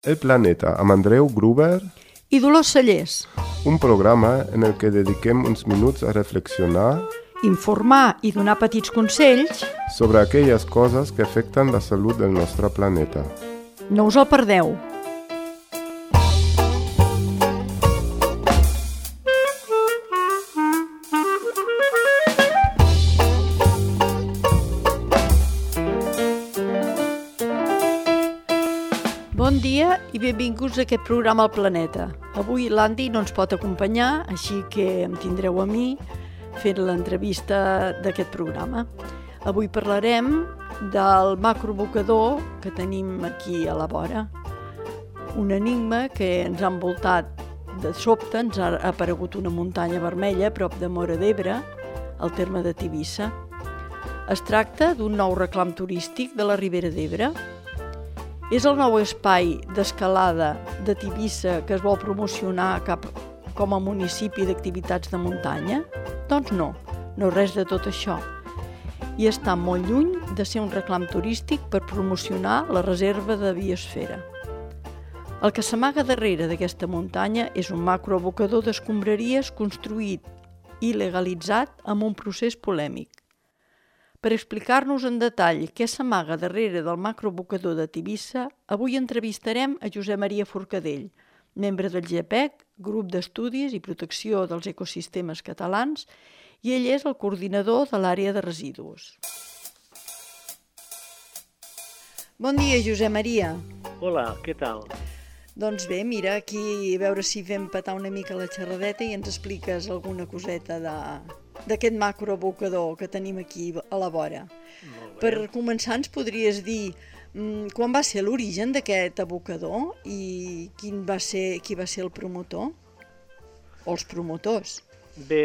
El Planeta, amb Andreu Gruber i Dolors Cellers. Un programa en el que dediquem uns minuts a reflexionar, Informar i donar petits consells. Sobre aquelles coses que afecten la salut del nostre planeta. No us el perdeu. Bon dia i benvinguts a aquest programa al Planeta. Avui l'Andy no ens pot acompanyar, així que em tindreu a mi fent l'entrevista d'aquest programa. Avui parlarem del macroabocador que tenim aquí a la vora. Un enigma que ens ha envoltat de sobte, ens ha aparegut una muntanya vermella a prop de Móra d'Ebre, al terme de Tivissa. Es tracta d'un nou reclam turístic de la Ribera d'Ebre. És el nou espai d'escalada de Tivissa que es vol promocionar com a municipi d'activitats de muntanya? Doncs no res de tot això. I està molt lluny de ser un reclam turístic per promocionar la reserva de biosfera. El que s'amaga darrere d'aquesta muntanya és un macroabocador d'escombraries construït i legalitzat amb un procés polèmic. Per explicar-nos en detall què s'amaga darrere del macroabocador de Tivissa, avui entrevistarem a Josep Maria Forcadell, membre del GEPEC, Grup d'Estudis i Protecció dels Ecosistemes Catalans, i ell és el coordinador de l'àrea de residus. Bon dia, Josep Maria. Hola, què tal? Doncs bé, mira, aquí a veure si fem petar una mica la xerradeta i ens expliques alguna coseta d'aquest macroabocador que tenim aquí a la vora. Per començar, ens podries dir quan va ser l'origen d'aquest abocador i qui va ser el promotor? O els promotors? Bé,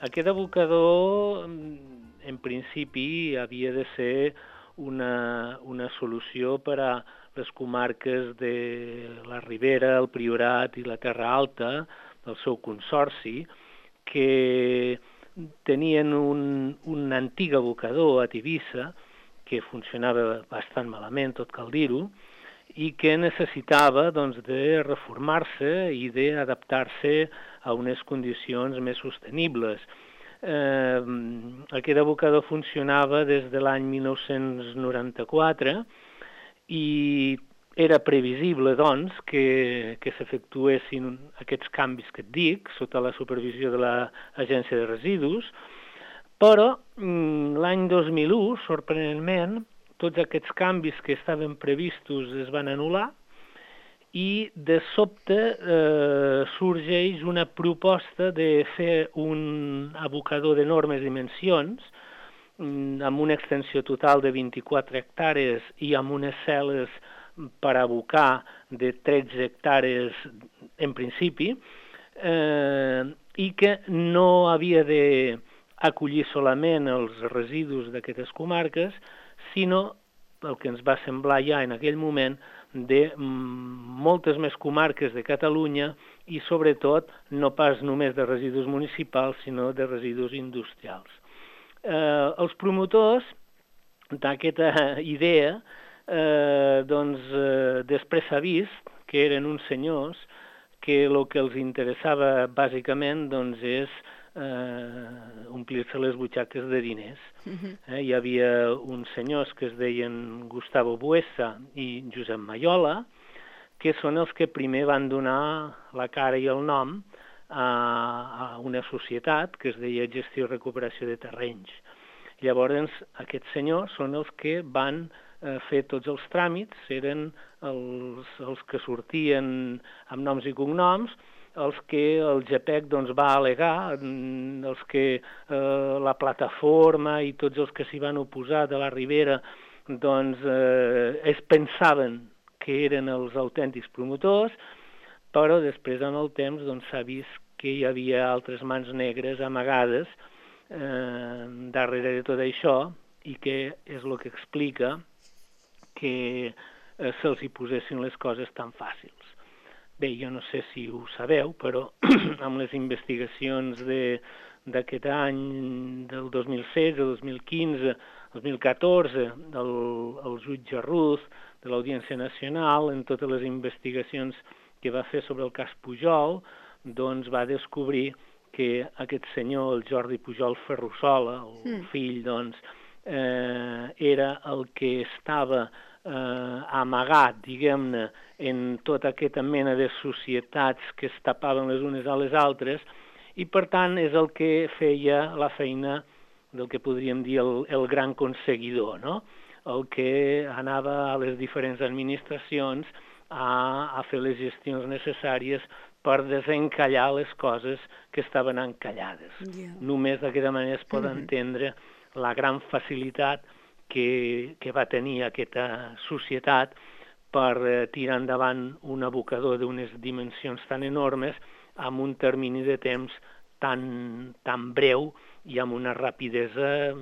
aquest abocador en principi havia de ser una solució per a les comarques de la Ribera, el Priorat i la Terra Alta, del seu consorci, que tenien un antic abocador a Tivissa que funcionava bastant malament, tot cal dir-ho, i que necessitava de reformar-se i d'adaptar-se a unes condicions més sostenibles. Aquest abocador funcionava des de l'any 1994 i era previsible, doncs, que s'efectuessin aquests canvis que et dic, sota la supervisió de l'Agència de Residus, però l'any 2001, sorprenentment, tots aquests canvis que estaven previstos es van anul·lar i de sobte sorgeix una proposta de fer un abocador d'enormes dimensions amb una extensió total de 24 hectàrees i amb unes cel·les per abocar de 13 hectàrees en principi i que no havia d'acollir solament els residus d'aquestes comarques, sinó el que ens va semblar ja en aquell moment de moltes més comarques de Catalunya i sobretot no pas només de residus municipals, sinó de residus industrials. Els promotors d'aquesta idea després s'ha vist que eren uns senyors que el que els interessava bàsicament és omplir-se les butxaques de diners. Hi havia uns senyors que es deien Gustavo Buesa i Josep Maiola, que són els que primer van donar la cara i el nom a una societat que es deia Gestió i Recuperació de Terrenys. Llavors, aquests senyors són els que van fer tots els tràmits, eren els que sortien amb noms i cognoms, els que el GEPEC va al·legar, els que la plataforma i tots els que s'hi van oposar de la Ribera es pensaven que eren els autèntics promotors, però després en el temps s'ha vist que hi havia altres mans negres amagades darrere de tot això i que és el que explica que se'ls hi posessin les coses tan fàcils. Bé, jo no sé si ho sabeu, però amb les investigacions d'aquest any, del 2016, 2015, 2014, el jutge Ruz de l'Audiència Nacional, en totes les investigacions que va fer sobre el cas Pujol, doncs va descobrir que aquest senyor, el Jordi Pujol Ferrusola, el fill, doncs, era el que estava amagat, diguem-ne, en tota aquesta mena de societats que es tapaven les unes a les altres, i per tant és el que feia la feina del que podríem dir el gran conseguidor, no? El que anava a les diferents administracions a fer les gestions necessàries per desencallar les coses que estaven encallades. Només d'aquesta manera es pot entendre la gran facilitat que va tenir aquesta societat per tirar endavant un abocador d'unes dimensions tan enormes amb un termini de temps tan breu i amb una rapidesa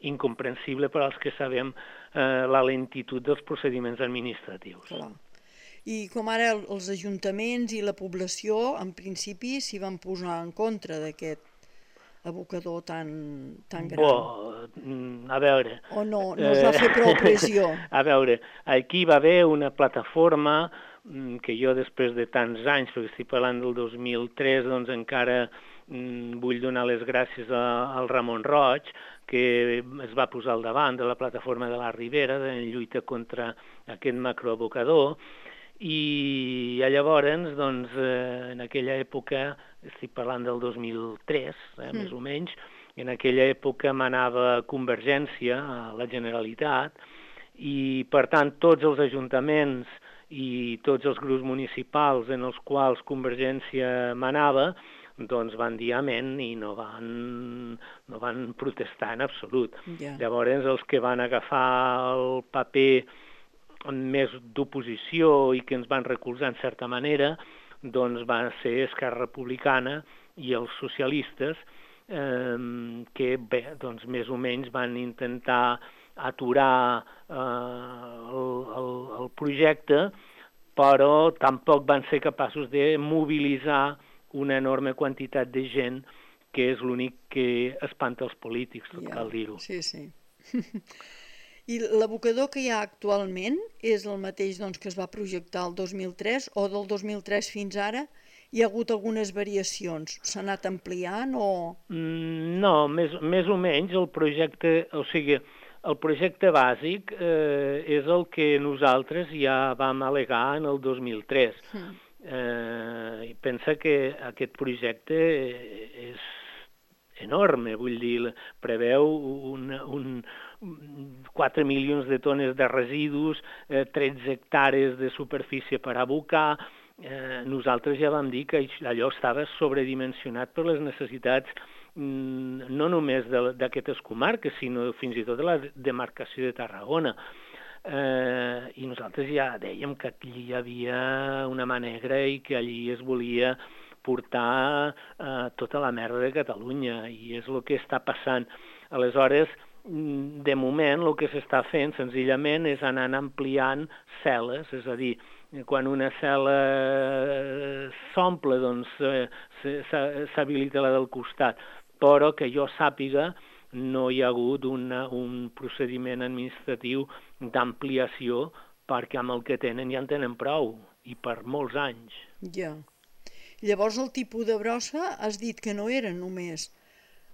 incomprensible per als que sabem la lentitud dels procediments administratius. Clar. I com ara els ajuntaments i la població, en principi, s'hi van posar en contra d'aquest abocador tan gran. A veure... O no es va fer prou pressió? A veure, aquí va haver una plataforma que jo després de tants anys, perquè estic parlant del 2003, doncs encara vull donar les gràcies al Ramon Roig, que es va posar al davant de la plataforma de la Ribera en lluita contra aquest macroabocador, i llavors, doncs, en aquella època, estic parlant del 2003, més o menys, en aquella època manava Convergència a la Generalitat, i per tant tots els ajuntaments i tots els grups municipals en els quals Convergència manava, doncs van dir amén i no van protestar en absolut. Llavors els que van agafar el paper més d'oposició i que ens van recolzar en certa manera, doncs van ser Esquerra Republicana i els socialistes, que bé, doncs més o menys van intentar aturar el projecte, però tampoc van ser capaços de mobilitzar una enorme quantitat de gent, que és l'únic que espanta els polítics, cal dir-ho. Sí. I l'abocador que hi ha actualment és el mateix que es va projectar el 2003 o del 2003 fins ara? Hi ha hagut algunes variacions? S'ha anat ampliant o...? No, més o menys el projecte, o sigui, el projecte bàsic és el que nosaltres ja vam al·legar en el 2003. Pensa que aquest projecte és enorme, vull dir, preveu 4 milions de tones de residus, 13 hectàrees de superfície per abocar. Nosaltres ja vam dir que allò estava sobredimensionat per les necessitats no només d'aquestes comarques, sinó fins i tot de la demarcació de Tarragona. I nosaltres ja dèiem que aquí hi havia una mà negra i que allí es volia portar tota la merda de Catalunya, i és el que està passant. Aleshores, de moment, el que s'està fent senzillament és anar ampliant cel·les, és a dir, quan una cel·la s'omple, doncs s'habilita la del costat, però que jo sàpiga no hi ha hagut un procediment administratiu d'ampliació, perquè amb el que tenen ja en tenen prou, i per molts anys. Ja. Llavors el tipus de brossa has dit que no era només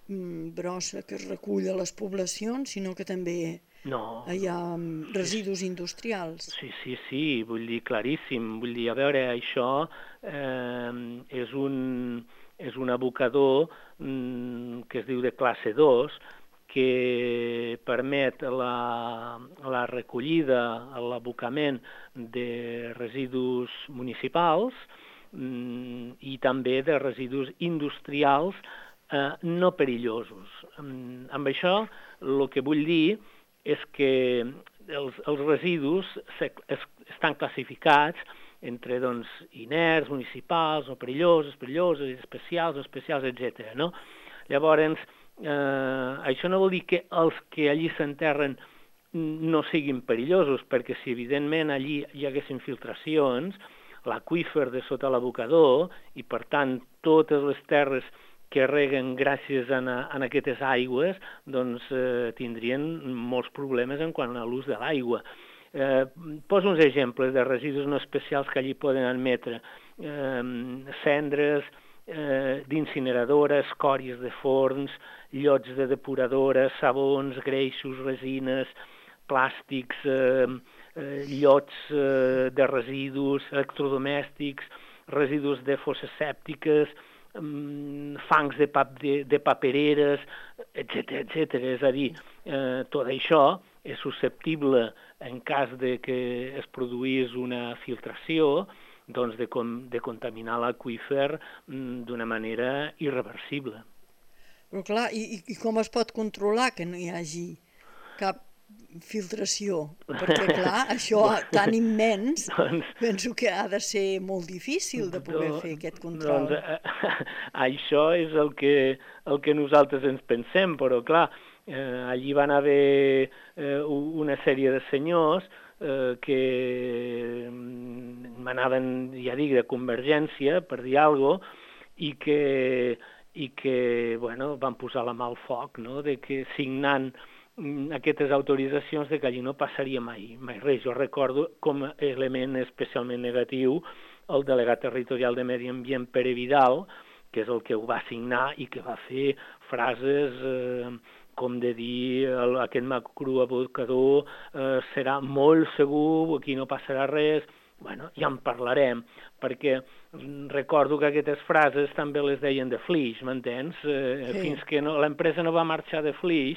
brossa que es recull a les poblacions, sinó que també hi ha residus industrials. Sí, vull dir, claríssim. Vull dir, a veure, això és un abocador que es diu de classe 2, que permet la recollida, l'abocament de residus municipals i també de residus industrials no perillosos. Amb això el que vull dir és que els residus estan classificats entre inerts, municipals, o perillosos, especials, etc. Llavors, això no vol dir que els que allí s'enterren no siguin perillosos, perquè si evidentment allí hi haguessin filtracions, l'aqüífer de sota l'abocador, i per tant totes les terres que reguen gràcies a aquestes aigües, doncs tindrien molts problemes en quant a l'ús de l'aigua. Poso uns exemples de residus no especials que allí poden admetre. Cendres d'incineradora, escòries de forns, llots de depuradora, sabons, greixos, resines, plàstics, llots de residus, electrodomèstics, residus de fosses sèptiques, fangs de papereres, etc. És a dir, tot això és susceptible, en cas de que es produís una filtració, doncs de contaminar l'aqüífer d'una manera irreversible. Però clar, i com es pot controlar que no hi hagi cap filtració? Perquè clar, això tan immens, penso que ha de ser molt difícil de poder fer aquest control. Doncs això és el que nosaltres ens pensem, però clar, allí van haver una sèrie de senyors que manaven, ja dic, de Convergència, per dir alguna cosa, i que van posar la mà al foc, no?, de que signant aquestes autoritzacions de que allí no passaria mai res. Jo recordo com a element especialment negatiu el delegat territorial de Medi Ambient, Pere Vidal, que és el que ho va signar i que va fer frases com de dir aquest macroabocador serà molt segur, aquí no passarà res. Bueno, ja en parlarem, perquè recordo que aquestes frases també les deien de Flix, m'entens? Fins que l'empresa no va marxar de Flix,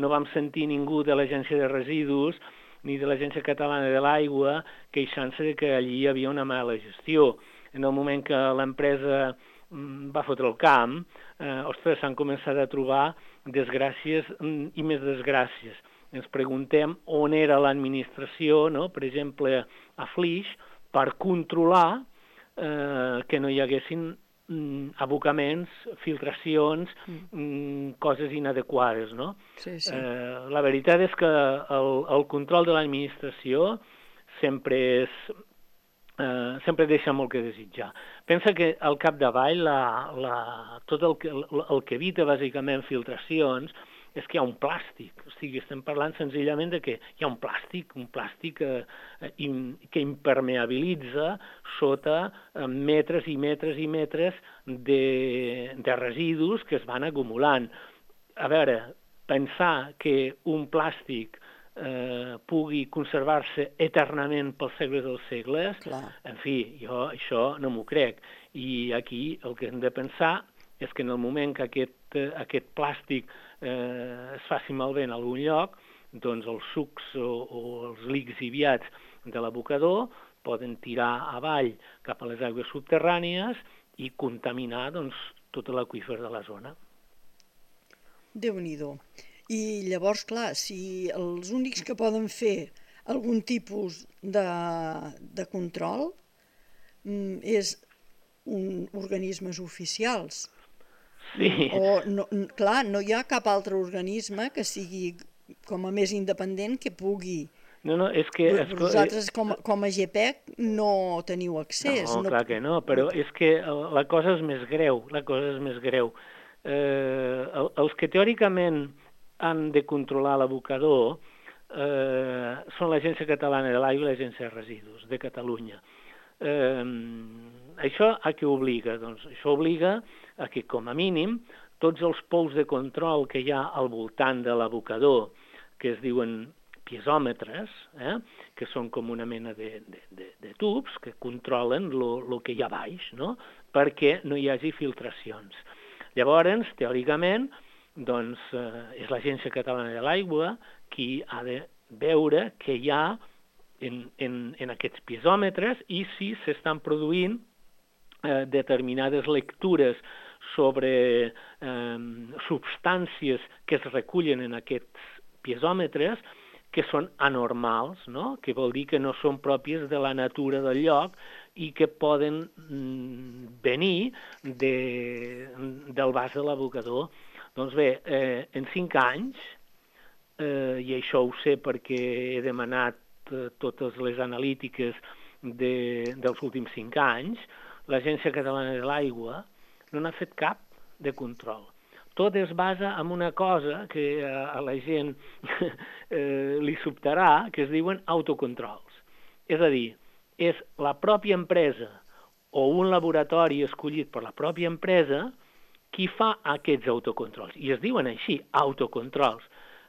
no vam sentir ningú de l'Agència de Residus ni de l'Agència Catalana de l'Aigua queixant-se que allí hi havia una mala gestió. En el moment que l'empresa va fotre el camp, ostres, s'han començat a trobar desgràcies i més desgràcies. Ens preguntem on era l'administració, no?, per exemple, a Flix, per controlar que no hi haguessin abocaments, filtracions, coses inadequades, no? Sí. La veritat és que el control de l'administració sempre deixa molt que desitjar. Pensa que al capdavall tot el que evita bàsicament filtracions és que hi ha un plàstic. O sigui, estem parlant senzillament de que hi ha un plàstic que impermeabilitza sota metres i metres i metres de residus que es van acumulant. A veure, pensar que un plàstic pugui conservar-se eternament pels segles dels segles, en fi, jo això no m'ho crec. I aquí el que hem de pensar és que en el moment que aquest plàstic es faci malbé en algun lloc, doncs els sucs o els lixiviats de l'abocador poden tirar avall cap a les aigües subterrànies i contaminar tot l'aqüífer de la zona. Déu-n'hi-do. I llavors, clar, si els únics que poden fer algun tipus de control és organismes oficials. Sí. O, clar, no hi ha cap altre organisme que sigui com a més independent que pugui. No, és que... Vosaltres com a GPEC no teniu accés. No, clar que no, però és que la cosa és més greu, Els que teòricament han de controlar l'abocador són l'Agència Catalana de l'Aigua i l'Agència de Residus de Catalunya. Això a què obliga? Doncs això obliga a que, com a mínim, tots els pous de control que hi ha al voltant de l'abocador, que es diuen piezòmetres, que són com una mena de tubs que controlen el que hi ha baix, no?, perquè no hi hagi filtracions. Llavors, teòricament, doncs, és l'Agència Catalana de l'Aigua qui ha de veure què hi ha en aquests piezòmetres i si s'estan produint determinades lectures sobre substàncies que es recullen en aquests piezòmetres que són anormals, no?, que vol dir que no són pròpies de la natura del lloc i que poden venir del vas de l'abocador. Doncs bé, en 5 anys, i això ho sé perquè he demanat totes les analítiques dels últims 5 anys, l'Agència Catalana de l'Aigua no n'ha fet cap de control. Tot es basa en una cosa que a la gent li sobtarà, que es diuen autocontrols. És a dir, és la pròpia empresa o un laboratori escollit per la pròpia empresa qui fa aquests autocontrols. I es diuen així, autocontrols.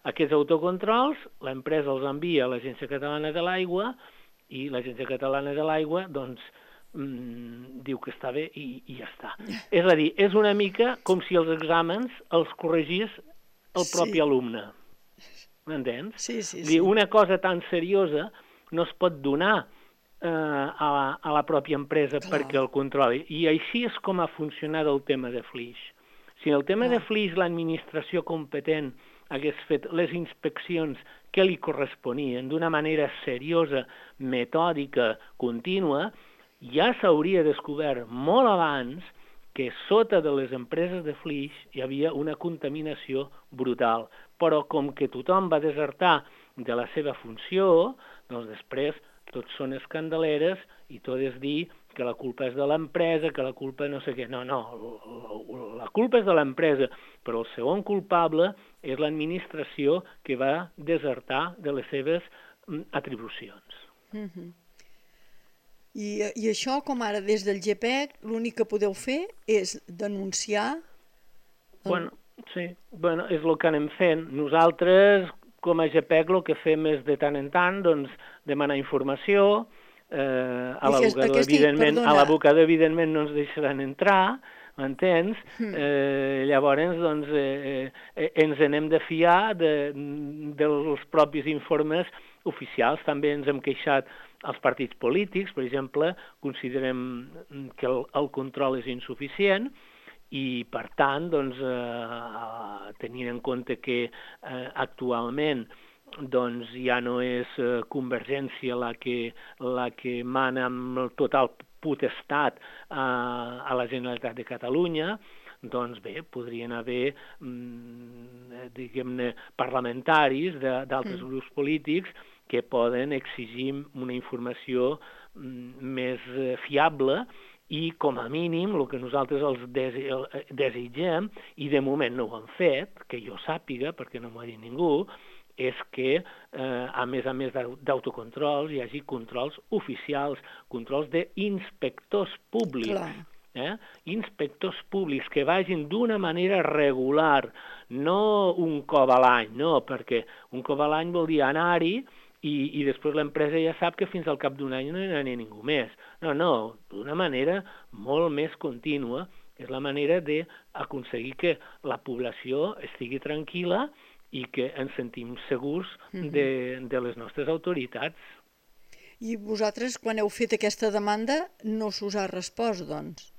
Aquests autocontrols, l'empresa els envia a l'Agència Catalana de l'Aigua i l'Agència Catalana de l'Aigua, doncs, diu que està bé i ja està. És a dir, és una mica com si els exàmens els corregís el propi alumne. M'entens? Sí. Una cosa tan seriosa no es pot donar a la pròpia empresa perquè el controli. I així és com ha funcionat el tema de Flix. Si en el tema de Flix l'administració competent hagués fet les inspeccions que li corresponien d'una manera seriosa, metòdica, contínua, ja s'hauria descobert molt abans que sota de les empreses de Flix hi havia una contaminació brutal. Però com que tothom va desertar de la seva funció, doncs després tot són escandaleres i tot és dir que la culpa és de l'empresa, que la culpa no sé què. No, la culpa és de l'empresa, però el segon culpable és l'administració que va desertar de les seves atribucions. I això, com ara des del GPEC, l'únic que podeu fer és denunciar... Sí, és el que anem fent. Nosaltres, com a GPEC, el que fem és de tant en tant demanar informació. A l'abocador, evidentment, no ens deixaran entrar, m'entens? Llavors, ens n'hem de fiar dels propis informes oficials. També ens hem queixat als partits polítics, per exemple, considerem que el control és insuficient i, per tant, tenint en compte que actualment ja no és Convergència la que mana amb total potestat a la Generalitat de Catalunya, doncs bé, podrien haver, diguem-ne, parlamentaris d'altres grups polítics que poden exigir una informació més fiable i, com a mínim, el que nosaltres els desitgem, i de moment no ho han fet, que jo sàpiga, perquè no m'ho ha dit ningú, és que, a més d'autocontrols, hi hagi controls oficials, controls d'inspectors públics. Inspectors públics que vagin d'una manera regular, no un cop a l'any, no, perquè un cop a l'any vol dir anar-hi i després l'empresa ja sap que fins al cap d'un any no hi anirà ningú més. No, d'una manera molt més contínua. És la manera d'aconseguir que la població estigui tranquil·la i que ens sentim segurs de les nostres autoritats. I vosaltres, quan heu fet aquesta demanda, no s'us ha respost, doncs?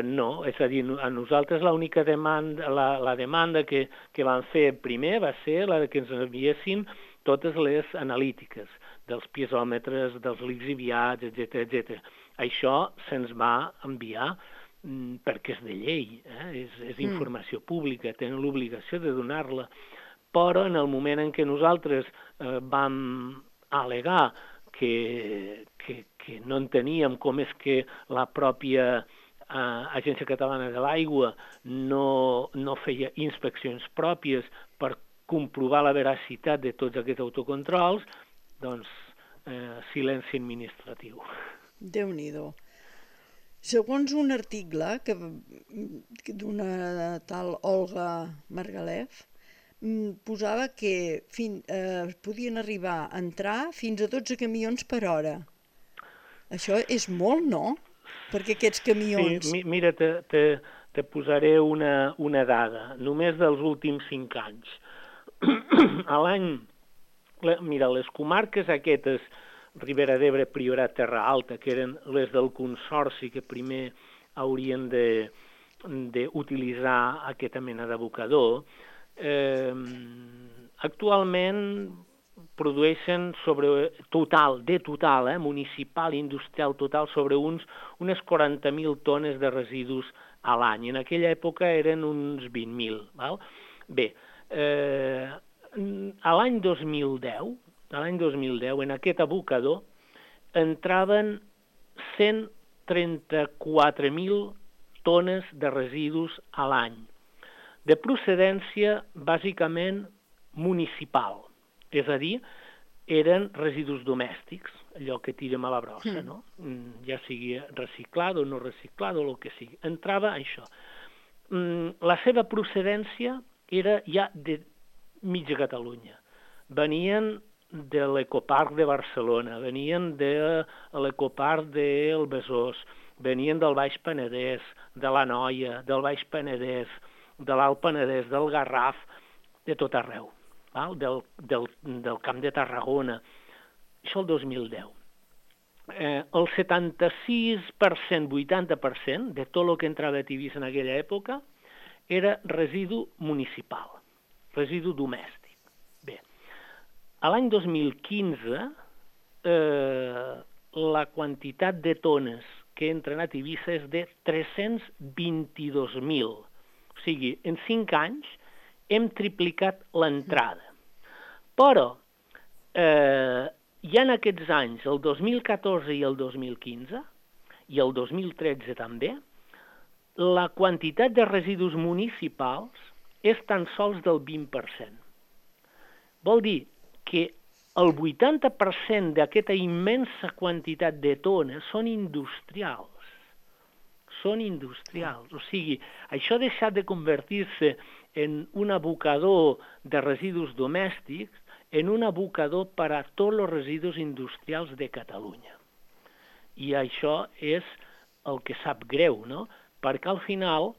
No, és a dir, a nosaltres l'única demanda, la demanda que vam fer primer va ser la que ens enviessin totes les analítiques dels piezòmetres, dels lixiviats, etc. Això se'ns va enviar perquè és de llei, és informació pública, tenen l'obligació de donar-la. Però en el moment en què nosaltres vam al·legar que no enteníem com és que la pròpia Agència Catalana de l'Aigua no feia inspeccions pròpies per comprovar la veracitat de tots aquests autocontrols, doncs silenci administratiu. Déu-n'hi-do. Segons un article d'una tal Olga Margalef, posava que podien arribar a entrar fins a 12 camions per hora. Això és molt, no? Perquè aquests camions... Sí, mira, te posaré una dada, només dels últims 5 anys. A l'any... Mira, les comarques aquestes, Ribera d'Ebre, Priorat, Terra Alta, que eren les del Consorci que primer haurien d'utilitzar aquesta mena d'abocador, actualment produeixen municipal, industrial total, sobre unes 40.000 tones de residus a l'any. En aquella època eren uns 20.000. Bé, a l'any 2010, en aquest abocador, entraven 134.000 tones de residus a l'any, de procedència bàsicament municipal, és a dir, eren residus domèstics, allò que tirem a la brossa, no? Ja sigui reciclado o no reciclado, el que sigui. Entrava això. La seva procedència era ja de mitja Catalunya. Venien de l'Ecoparc de Barcelona, venien de l'Ecoparc del Besòs, venien del Baix Penedès, de l'Anoia, del Baix Penedès, de l'Alt Penedès, del Garraf, de tot arreu, del Camp de Tarragona. Això el 2010. El 76%, 80% de tot el que entrava a Tivissa en aquella època era residu municipal, residu domèstic. Bé, a l'any 2015 la quantitat de tones que entren a Tivissa és de 322.000. O sigui, en 5 anys hem triplicat l'entrada. Però ja en aquests anys, el 2014 i el 2015, i el 2013 també, la quantitat de residus municipals és tan sols del 20%. Vol dir que el 80% d'aquesta immensa quantitat de tones són industrials. Són industrials. O sigui, això ha deixat de convertir-se en un abocador de residus domèstics en un abocador per a tots els residus industrials de Catalunya. I això és el que sap greu, no? Perquè al final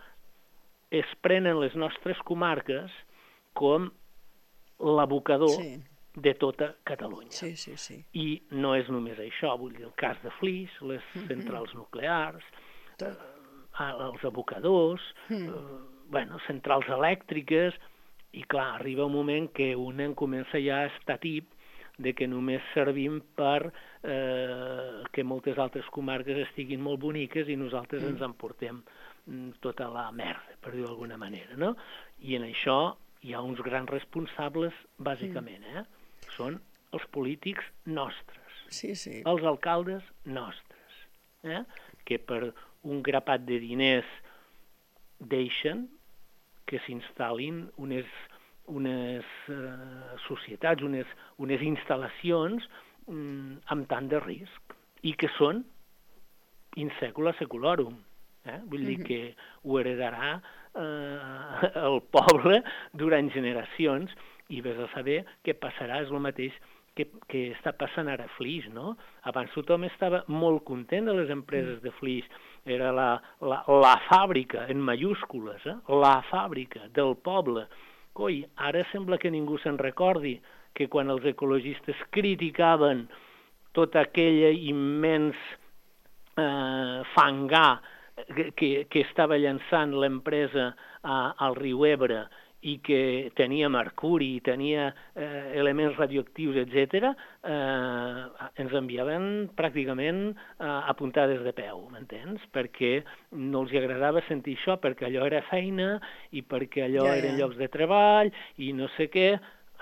es prenen les nostres comarques com l'abocador de tota Catalunya. I no és només això, vull dir, el cas de Flix, les centrals nuclears, els abocadors, centrals elèctriques, i clar, arriba un moment que un comença ja a estar tip de que només servim per que moltes altres comarques estiguin molt boniques i nosaltres ens emportem tota la merda, per dir-ho d'alguna manera, no? I en això hi ha uns grans responsables, bàsicament, són els polítics nostres, els alcaldes nostres, que per un grapat de diners deixen que s'instal·lin unes societats, unes instal·lacions amb tant de risc i que són in secula seculorum. Vull dir que ho heredarà el poble durant generacions i vés a saber què passarà, és el mateix que està passant ara a Flix, no? Abans tothom estava molt content de les empreses de Flix, era la fàbrica, en majúscules, la fàbrica del poble. Coi, ara sembla que ningú se'n recordi que quan els ecologistes criticaven tot aquell immens fangar que estava llançant l'empresa al riu Ebre i que tenia mercuri, tenia elements radioactius, etc., ens enviaven pràcticament apuntades de peu, m'entens? Perquè no els agradava sentir això, perquè allò era feina i perquè allò eren llocs de treball i no sé què.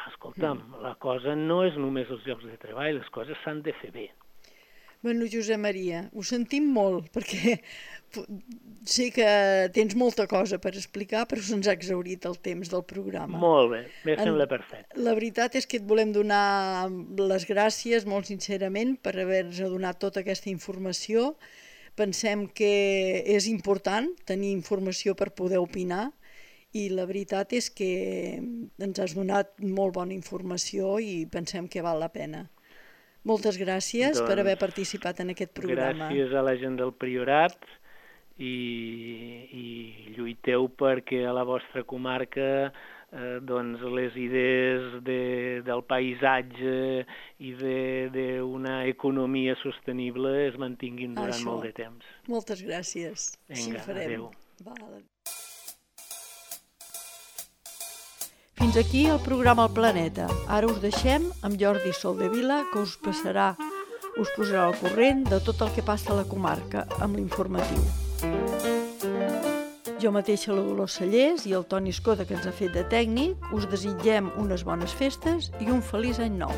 Escolta'm, la cosa no és només els llocs de treball, les coses s'han de fer bé. Bueno, Josep Maria, ho sentim molt, perquè sé que tens molta cosa per explicar, però se'ns ha exhaurit el temps del programa. Molt bé, em sembla perfecte. La veritat és que et volem donar les gràcies molt sincerament per haver-nos donat tota aquesta informació. Pensem que és important tenir informació per poder opinar i la veritat és que ens has donat molt bona informació i pensem que val la pena. Moltes gràcies per haver participat en aquest programa. Gràcies a la gent del Priorat i lluiteu perquè a la vostra comarca les idees del paisatge i d'una economia sostenible es mantinguin durant molt de temps. Moltes gràcies. Vinga, adéu. Fins aquí el programa El Planeta. Ara us deixem amb Jordi Soldevila, que us posarà al corrent de tot el que passa a la comarca amb l'informatiu. Jo mateixa, la Dolors Cellers, i el Toni Escoda, que ens ha fet de tècnic, us desitgem unes bones festes i un feliç any nou.